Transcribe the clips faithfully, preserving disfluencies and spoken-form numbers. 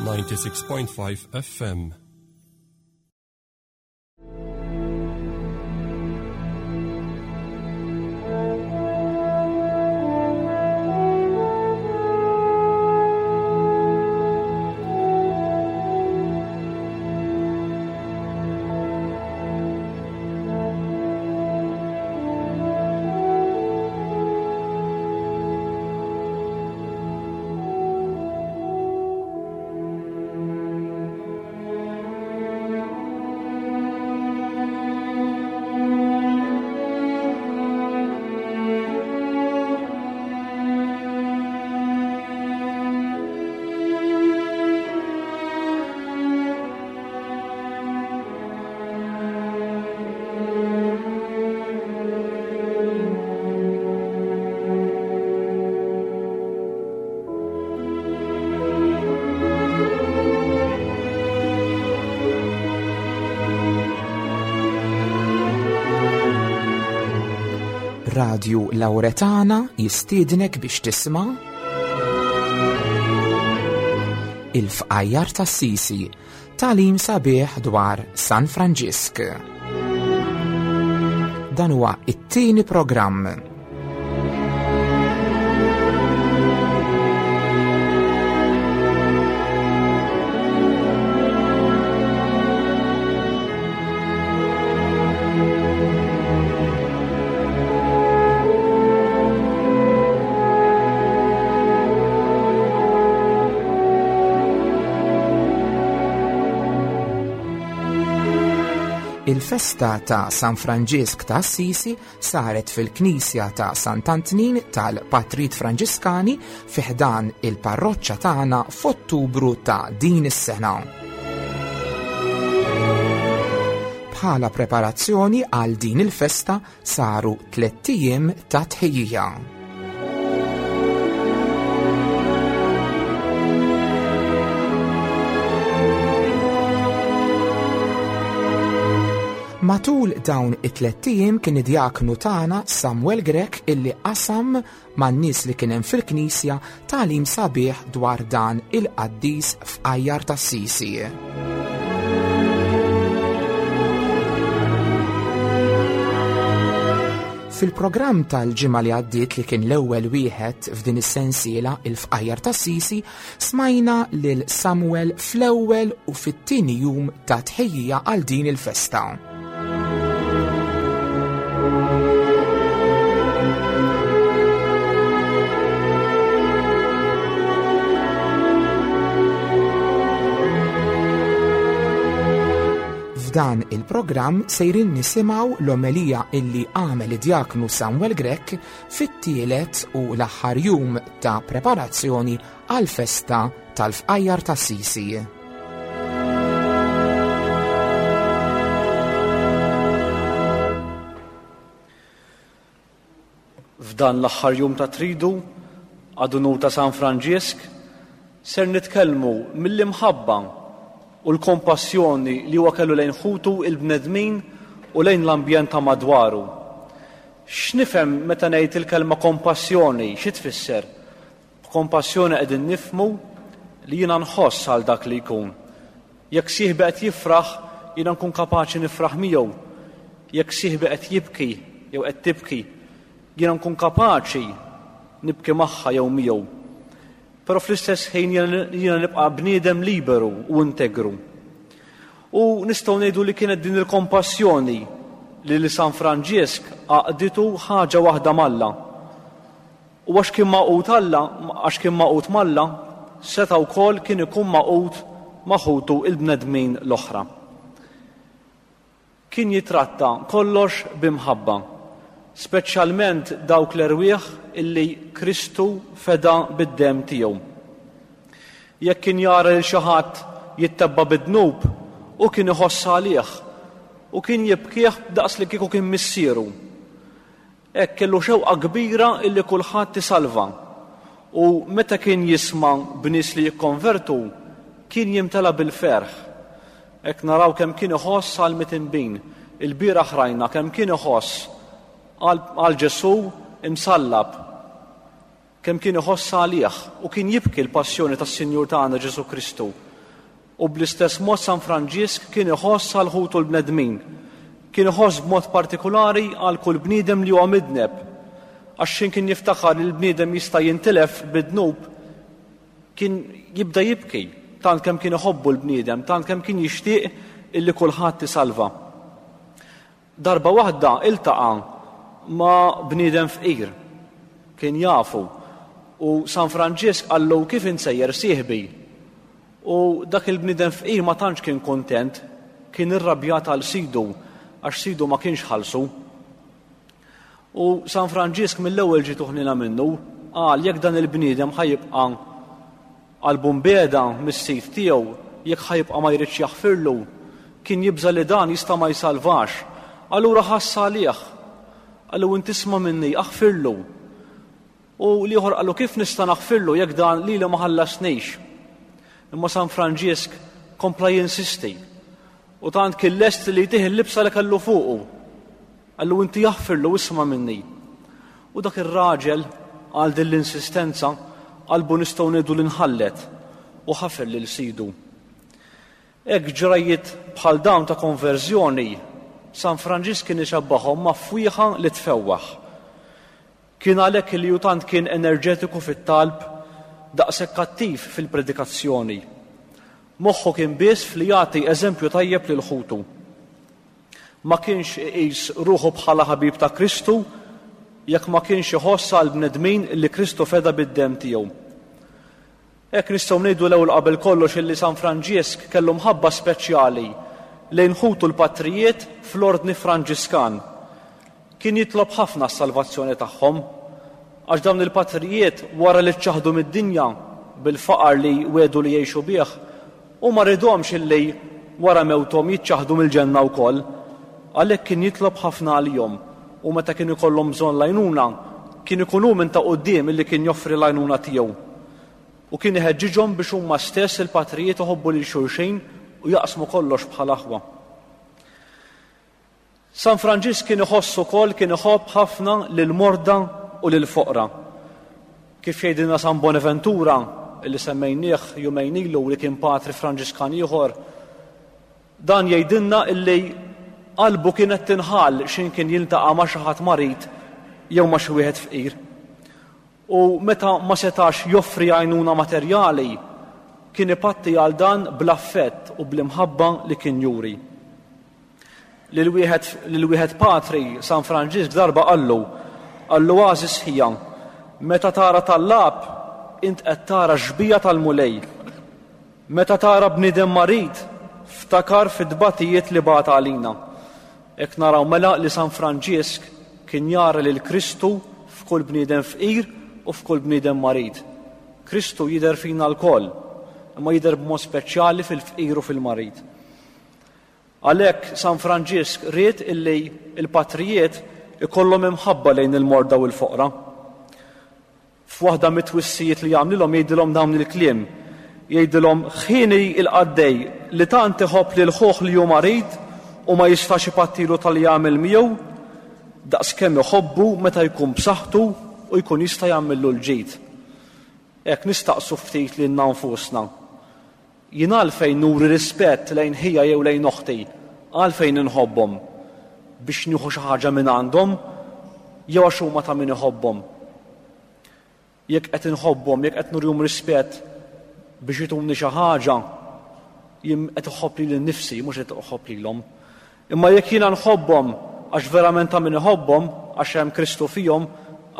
ninety-six point five F M. Radju Lauretana jistiednek biex tisma' Il-Fqajjar t'Assisi, tagħlim sabiħ dwar San Franġisk. Dan huwa it-tieni programm. Il-festa ta' San Franġisk ta' Assisi saret fil-Knisja ta' Sant'Antnin tal-Patrijiet Franġiskani fi ħdan il-parroċċa tagħna f'Ottubru ta' din is-sena. Bħala preparazzjoni għal din il-festa saru tlett ijiem ta' tħejjija. Matul dawn it-tlett ijiem kien id-djaknu tagħna Samuel Grech illi qasam man-nies li kien hemm fil-Knisja tagħlim sabiħ dwar dan il-qaddis f'Qajjar t'Assisi. Fil-programm tal-ġimgħa li għaddiet li kien l-ewwel wieħed f'din is-sensiela il-Fqajjar t'Assisi, smajna lil Samuel fl-ewwel u fit-tieni jum ta' tħejjija għal din il-festa. F'dan il-programm sejrin nisimgħu l-omelija illi għamel id-djaknu Samuel Grech fit-tielet u l-aħħar jum ta' preparazzjoni għal-festa tal-Fqajjar t'Assisi. F'dan l-aħħar jum ta' tridu, għad unur ta' San Franġisk, ser nitkellmu mill-imħabba u l-kompassjoni li huwa kellu lejn ħutu il-bnedmin u lejn l-ambjent ta' madwaru. X'nifhem meta ngħid il-kelma kompassjoni, xi tfisser? B'kompassjoni qegħdin nifhmu li jiena nħoss għal dak li jkun. Jekk sieħbi qed jifraħ, jiena nkun kapaċi nifraħ miegħu. Jekk sieħbi qed jibki jew qed tibki, jiena nkun kapaċi nibki magħha jew miegħu. Però fl-istess ħin jiena, jiena nibqa' bniedem liberu u integru. U nistgħu ngħidu li kienet din il-kompassjoni li li San Franġisk għaqditu ħaġa waħda m'Alla. U għax kien magħqud Alla, għax kien magħqud m'Alla, seta' wkoll kien ikun magħqud ma' ħutu il-bnedmin l-oħra. Kien jitratta kollox b'imħabba, speċjalment dawk l-erwieħ illi Kristu feda bid-demm tiegħu. Jekk kien jara lil xi ħadd jittebba bid-dnub, u kien iħoss għalih u kien jibkih daqs li kieku kien missieru. Hekk kellu xewqa kbira illi kulħadd isalva. U meta kien jisma' b'nies li jikkonvertu, kien jimtela bil-ferħ. Hekk naraw kemm kien iħoss għal mitinbin. Il-bieraħ rajna kemm kien iħoss għal, għal Ġesù imsallab, kemm kien iħoss għalih u kien jibki l-passjoni tas-Sinjur tagħna Ġesù Kristu. U bl-istess mod San Franġisk kien iħoss għal ħutu l-bnedmin. Kien iħoss b'mod partikolari għal kull bniedem li huwa midneb. Għax x'ħin kien jiftakar li l-bniedem jista' jintilef bid-dnub, kien jibda jibki, tant kemm kien iħobbu l-bniedem, tant kemm kien jixtieq illi kulħadd isalva. Darba waħda iltaqa' ma' bniedem fqir, kien jafu, u San Franġisk qallu kif insejjer sieħbi. U dak il-bniedem fqir ma tantx kien kontent, kien irrabjat għal sidu, għax sidu ma kienx ħallsu. U San Franġisk mill-ewwel ġietu ħniena minnu, qal jekk dan il-bniedem ħa jibqa' qalbu mbiegħda mis-sid tiegħu, jekk ħa jibqa' ma jridx jaħfirlu, kien jibża' li dan jista' ma jsalvax. Allura ħass għalih. Qallu inti isma' minni, aħfirlu. U l-ieħor qallu kif nista' naħfirlu jekk dan lili ma ħallasnix. Imma San Franġisk kompla jinsisti. U tant kien lest li jtih il-libsa li kellu fuqu. Qallu inti aħfirlu, isma' minni. U dak ir-raġel għal din l-insistenza qalbu nistgħu ngħidu li nħallet u ħafer lil sidu. Hekk ġrajiet bħal dawn ta' konverżjoni San Franġisk kien ixabbahom ma' fwieħa li tfewwaħ. Kien għalhekk li hu tant kien enerġetiku fit-talb, daqshekk kattiv fil-predikazzjoni. Moħħu kien biss fli jagħti eżempju tajjeb lil ħutu. Ma kienx iqis ruħu bħala ħabib ta' Kristu jekk ma kienx iħoss għal bnedmin li Kristu feda bid-demm tiegħu. Hekk nistgħu ngħidu l-ewwel qabel kollox illi San Franġisk kellu mħabba speċjali lejn ħutu l-patrijiet fl-ordni Franġiskan. Kien jitlob ħafna s-salvazzjoni tagħhom, għax dawn il-patrijiet wara li ċċaħdu mid-dinja bil-faqar li wedu li jgħixu bih, u ma ridhomx illi wara mewthom jiċċaħdu mill-ġenna wkoll. Għalhekk kien jitlob ħafna għalihom, u meta kien ikollhom bżonn l-għajnuna, kien ikun hu minn ta' quddiem illi kien joffri l-għajnuna tiegħu. U kien iħeġġiġhom biex huma stess il-patrijiet iħobbu lil xulxin u jaqsmu kollox bħal aħwa. San Franġisk kien iħoss ukoll, kien iħobb ħafna lil morda u lil foqra. Kif jgħidilna San Bonaventura, illi semmejnieh jumejn ilu li kien patri Franġiskan ieħor, dan jgħidilna illi qalbu kienet tinħall x'in kien jiltaqa' ma' xi ħadd marid jew ma' xi wieħed fqir. U meta ma setax joffri għajnuna materjali, kien ipatti għal dan bl-affett u bl-imħabba li kien juri. Lil wieħed, lil wieħed patri San Franġisk darba qallu, qallu għażiż ħija, meta tara tallab, int qed tara xbija tal-Mulej. Meta tara bniedem marid, ftakar fid-dbatijiet li bagħat għalina. Hekk naraw mela li San Franġisk kien jara lil Kristu f'kull bniedem fqir u f'kull bniedem marid. Kristu jidher fina lkoll, imma jidher b'mod speċjali fil-fqir u fil-marid. Għalhekk San Franġisk ried illi il-patrijiet ikollhom imħabba lejn il-morda u l-foqra. F'waħda mit-twissijiet li jagħmlilhom jgħidilhom dawn il-kliem. Jgħidilhom ħini il-qaddej li tant iħobb lil ħuh li hu marid u ma jistax ipattilu tal jagħmel miegħu, daqskemm iħobbu meta jkun b'saħħtu u jkun jista' jagħmillu l-ġid. Hekk nistaqsu ftit lilna nfusna. Jien għalfejn nuri rispett lejn ħija jew lejn oħti, għalfejn inħobbhom? Biex nieħu xi ħaġa minn għandhom jew għax huma ta' min iħobbhom? Jekk qed inħobbhom, jekk qed nurihom rispett biex jituni xi ħaġa, jien qed iħobb lili nnifsi, mhux qed iħobb lilhom. Imma jekk jiena nħobbhom għax verament ta' min iħobbhom, għax hemm Kristu fihom,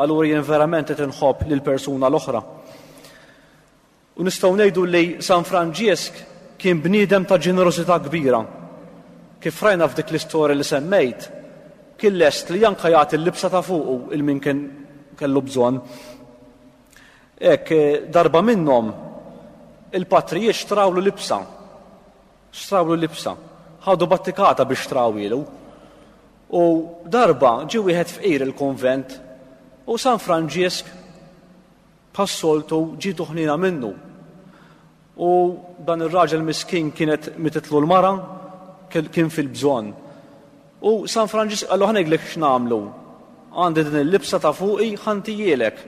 allura jien verament qed inħobb lill-persuna l-oħra. U nistgħu ngħidu li San Franġisk kien bniedem ta' ġenerożità kbira. Kif rajna f'dik l-istorja li semmejt, kien lest li anke jagħti l-libsa ta' fuqu il min kien kellu bżonn. Hekk darba minnhom il-patrijiet xtrawlu libsa. Xtrawlu libsa. Ħadu battikata biex xtrawilu. U darba ġie wieħed fqir il-konvent u San Franġisk bħas-soltu ġietu ħniena minnu. U dan ir-raġel miskin kienet mititlu l-mara, kien fil-bżonn. U San Franġisk qallu ħa ngħidlek x'nagħmlu. Għandi din il-libsa ta' fuqi ħantijielek.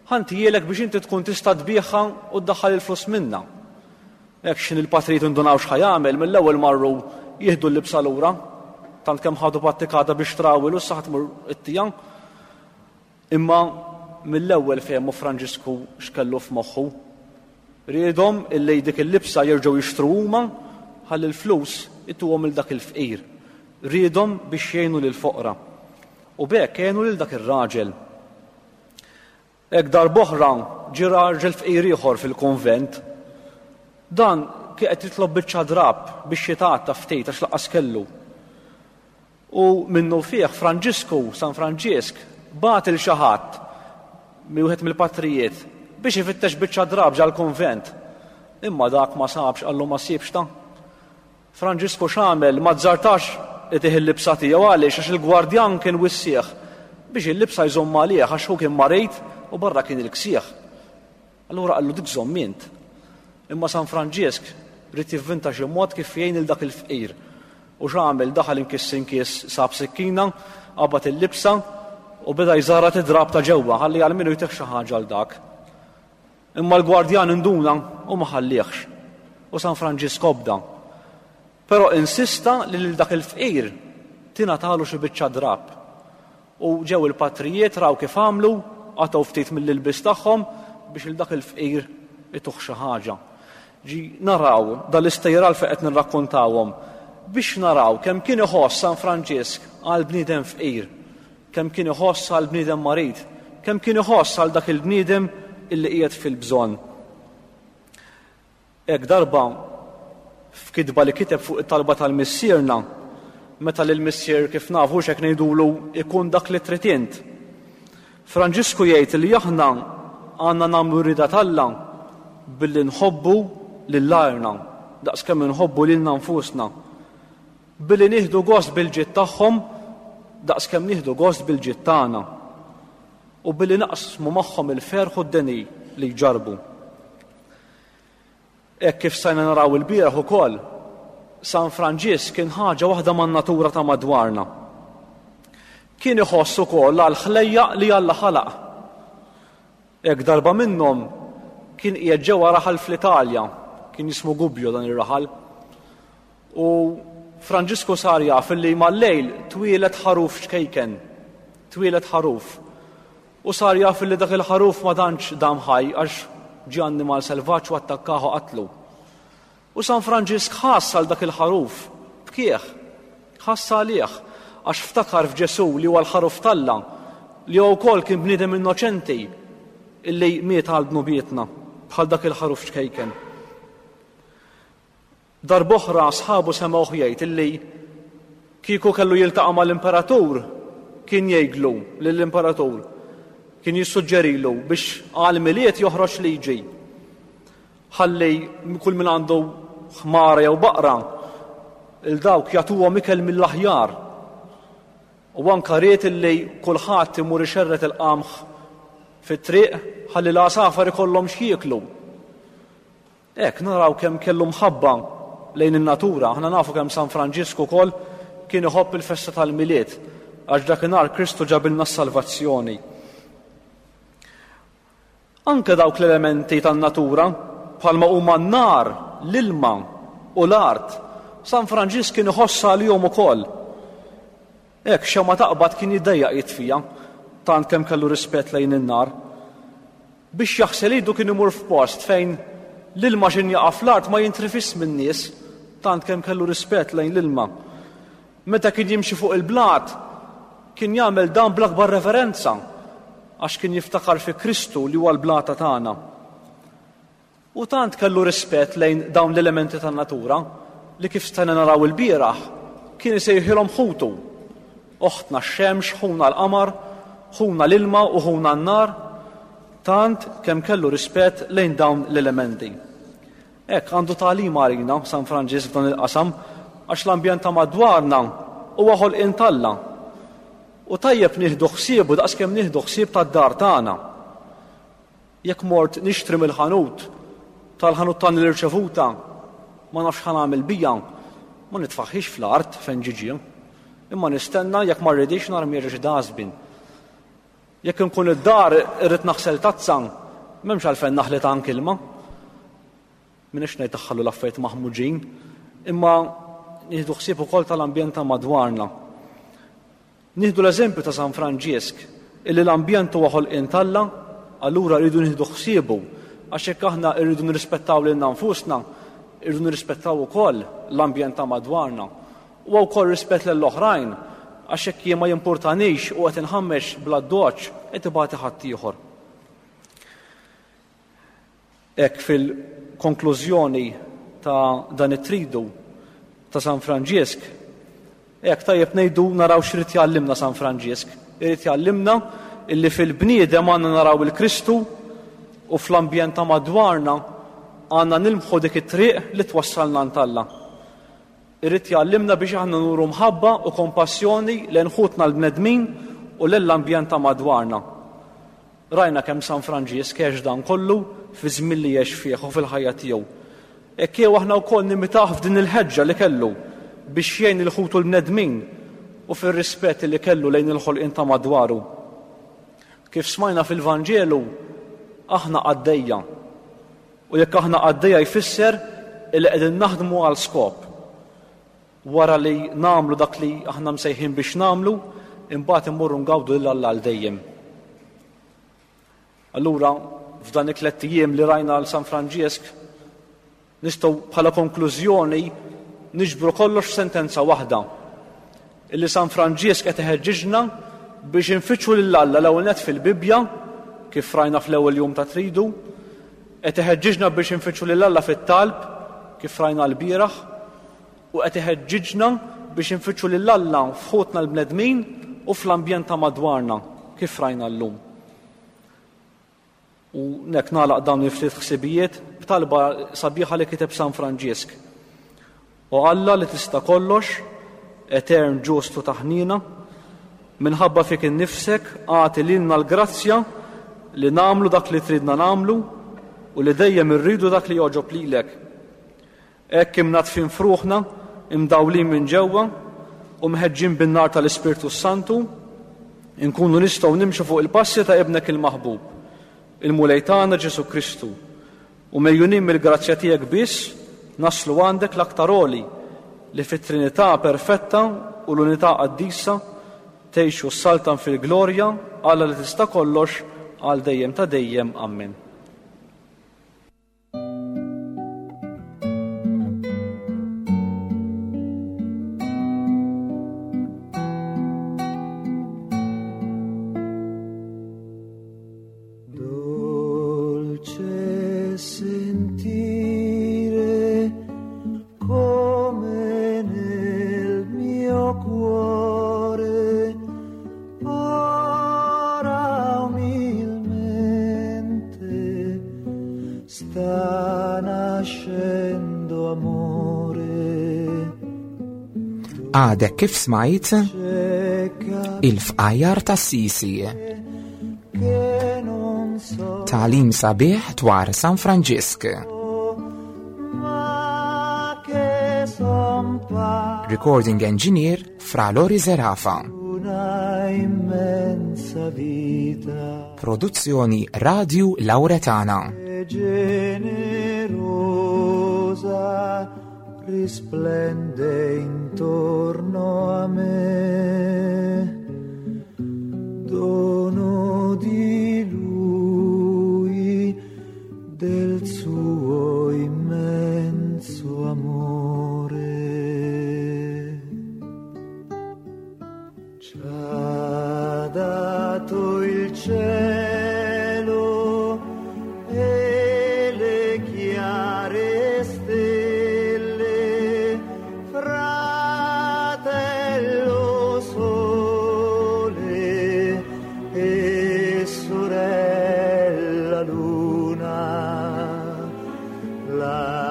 Ħantijielek biex inti tkun tista' tbigħha u ddaħħal il-flus minna. Hekk x'ħin il-patrijiet indunaw x'ħa jagħmel, mill-ewwel marru jieħdu l-libsa lura, tant kemm ħadu pattikata biex trawil u issa tmur it-tija. Imma mill-ewwel fehmu Franġisku x'kellu f'moħħu. Riedhom illi dik il-libsa jerġgħu jixtru huma ħalli l-flus ituhom il dak il-fqir. Riedhom biex jgħinu lill-foqra. U b'hekk għenu lil dak ir-raġel. Hekk darb'oħra ġie raġel fqir ieħor fil-kunvent. Dan kien qed jitlob biċċa drab biex jitgħatta ftit għax lanqas kellu. U minnu fih Franġisku, San Franġisk, bagħat lil xi ħadd wieħed mill-patrijiet biex ifittex biċċa drab ġal-kunvent. Imma dak ma sabx, qallu ma sibx ta. Franġisku x'għamel? Ma azzardax itih il-libsa tiegħu. Għaliex? Għax il-gwardjan kien wissieħ biex il-libsa jżomm għalih għax hu kien marid u barra kien il-ksieħ. Allura qallu dik żomm int. Imma San Franġisk ried jivvinta xi mod kif jgħin il dak il-fqir. U x'għamel? Daħal inkiss inkiss, sab sikkina, qabad il-libsa u beda jżarrat id-drab ta' ġewwa ħalli għal minnu jtih xi ħaġa għal dak. Imma l-gwardjan induna u ma ħallihx. U San Franġisk obda. Però insista li lil dak il-fqir tingħatalu xi biċċa drab. U ġew il-patrijiet, raw kif għamlu, qatgħu ftit mill-ilbis tagħhom biex il dak il-fqir ituh xi ħaġa. Ġi naraw dal-istejjer għalfejn qed nirrakkontawhom biex naraw kemm kien iħoss San Franġisk għal bniedem fqir, kemm kien iħoss għal bniedem marid, kemm kien iħoss għal dak il-bniedem illi qiegħed fil-bżonn. Hekk darba f'kitba li kiteb fuq it-talba tal-Missierna, meta lil Missier kif nafu x'hekk ngħidulu ikun dak li trid int. Franġisku jgħid li aħna għandna nagħmlu rida t'Alla billi nħobbu lil għajrna daqskemm inħobbu lilna nfusna, billi nieħdu gost bil-ġid tagħhom daqskemm nieħdu gost bil-ġid tagħna, u billi naqsmu magħhom il-ferħ u d-deni li jġarbu. Hekk kif stajna naraw il-bieraħ ukoll, San Franġisk kien ħaġa waħda man-natura ta' madwarna. Kien iħoss ukoll għal ħlejjaq li Alla ħalaq. Hekk darba minnhom kien qiegħed ġewwa raħal fl-Italja, kien jismu Gubbio dan ir-raħal. U Franġisku sar jaf li mal-lejl twieled ħaruf ċkejken, twieled ħaruf. U sar jaf li dak il-ħaruf ma tantx dam ħaj għax ġie annimal selvaġġ u attakkahu qatlu. U San Franġisk ħass għal dak il-ħaruf, bkieħ, ħass għalih, għax ftakar f'Ġesù li huwa l-ħaruf t'Alla, li huwa wkoll kien bniedem innoċenti illi miet għal dnubietna bħal dak il-ħaruf ċkejken. Darb'oħra sħabu semgħuh jgħid illi kieku kellu jiltaqa' mal-imperatur, kien jgħidlu lill-imperatur, kien jissuġġerilu biex għal Milied joħroġ liġi. Ħalli kull min għandu ħmara jew baqra, il dawk jagħtuhom ikel mill-aħjar. U anka ried illi kulħadd imur ixerret il-qamħ fit-triq ħalli l-għasafar ikollhom x'jieklu. Hekk naraw kemm kellu mħabba lejn in-natura. Aħna nafu kemm San Franġisku wkoll kien iħobb il-festa tal-Milied, għax dakinhar Kristu ġabilna s-salvazzjoni. Anke dawk l-elementi tan-natura bħalma huma n-nar, l-ilma u l-art, San Franġisk kien iħoss għalihom ukoll. Hekk xemgħa taqbad kien jiddejjaq jitfija, tant kemm kellu rispett lejn in-nar. Biex jaħsel idu kien imur f'post fejn l-ilma x'in jaqa' fl-art ma jintrifis min-nies, tant kemm kellu rispett lejn l-ilma. Meta kien jimxi fuq il-blat, kien jagħmel dan bl-akbar reverenza, għax kien jiftakar fi Kristu li huwa l-blata tagħna. U tant kellu rispett lejn dawn l-elementi tan-natura li kif stajna naraw il-bieraħ kien isejħilhom ħutu. Oħtna x-xemx, ħuna l-qamar, ħuna l-ilma u ħuna n-nar, tant kemm kellu rispett lejn dawn l-elementi. Hekk għandu tagħlim għalina San Franġisk f'dan il-qasam, għax l-ambjent ta' madwarna huwa ħolqien t'Alla. U tajjeb nieħdu ħsiebu daqskemm nieħdu ħsieb tad-dar tagħna. Jekk mort nixtri mill-ħanut, tal-ħanut tagħni l-irċevuta, ma nafx ħa nagħmel bija, ma nitfaħħix fl-art fejn ġiġi, imma nistenna jekk ma rridix narmi xi dustbin. Jekk inkun id-dar irrid naħsel tazza, m'hemmx għalfejn naħli ta' ilma. M'iniex ngħid taħħallu l-affarijiet maħmuġin, imma nieħdu ħsieb ukoll tal-ambjent ta' madwarna. Nieħdu l-eżempju ta' San Franġisk, illi l-ambjent huwa ħolqien t'Alla, allura rridu nieħdu ħsiebu, għax hekk aħna rridu nirrispettaw lilna nfusna, irridu nirrispettaw ukoll l-ambjent ta' madwarna. U wkoll rispett lill-oħrajn, għax hekk jien ma jimpurtanix u qed inħammex bla doċ qed ibati ħaddieħor. Hekk fil-konklużjoni ta' dan it-tridu ta' San Franġisk, hekk tajjeb ngħidu naraw x'irid jgħallimna San Franġisk. Irid jgħallimna illi fil-bniedem għandna naraw il-Kristu u fl-ambjent ta' madwarna għandna nilmħu dik it-triq li twassalna għand Alla. Irid jgħallimna biex aħna nuru mħabba u kompassjoni lejn ħutna l-bnedmin u lill-ambjent ta' madwarna. Rajna kemm San Franġisk għex dan kollu fi żmien li għex fih u fil-ħajja tiegħu. Hekk jew aħna wkoll nimitah f'din il-ħeġġa li kellu biex jgħin il-ħutu l-bnedmin u fir-rispett li kellu lejn il-ħolqien ta' madwaru. Kif smajna fil-Vanġelu, aħna qaddejja. U jekk aħna qaddejja jfisser li qegħdin naħdmu għal skop. Wara li nagħmlu dak li aħna msejħin biex nagħmlu, imbagħad immorru ngawdu lil Alla għal dejjem. Allura, f'dan it-tliet ijiem li rajna għal San Franġisk, nistgħu bħala konklużjoni niġbru kollox f'sentenza waħda. Illi San Franġisk qed iħeġġiġna biex infittxu lil Alla l-ewwel nett fil-Bibbja, kif rajna fl-ewwel jum ta' tridu, qed iħeġġiġna biex infittxu lil Alla fit-talb, kif rajna l-bieraħ, u qed iħeġġiġna biex infittxu lil Alla f'ħutna l-bnedmin u fl-ambjent ta' madwarna, kif rajna llum. U nek nagħlaq dawn il-ftit ħsibijiet b'talba sabiħa li kiteb San Franġisk. O Alla li tista' kollox, etern ġustu taħnina, minħabba fik innifsek agħti lilna l-grazzja li nagħmlu dak li tridna nagħmlu u li dejjem irridu dak li jogħġob lilek. Hekk imnadfin fruħna, imdawlin minn ġewwa u mħeġġin bin-nar tal-Ispirtu Santu, inkunu nistgħu nimxu fuq il-passi ta' ibnek il-maħbub, il-Mulej tagħna Ġesu Kristu, u mejjunin mill-grazzja tiegħek biss naslu għandek l-aktar għoli li fit-Trinità perfetta u l-unità qaddisa tgħixu s-saltan fil-glorja Alla li tista' kollox għal dejjem ta' dejjem. Amen. Dolce sentire come nel mio cuore ora umilmente sta nascendo amore. Għadek kif smajt il-fqajjar tas-Sisi. Che non so Tagħlim sabiħ dwar San Franġisk. ma che son pa Recording Engineer Fra Lori Zerafa. una immensa vita Produzzjoni Radio Lauretana. e generosa risplende intorno a me, dono di lui, del suo immenso amore. Ci ha dato il cielo e le chiare stelle, fratello sole e sorella luna, la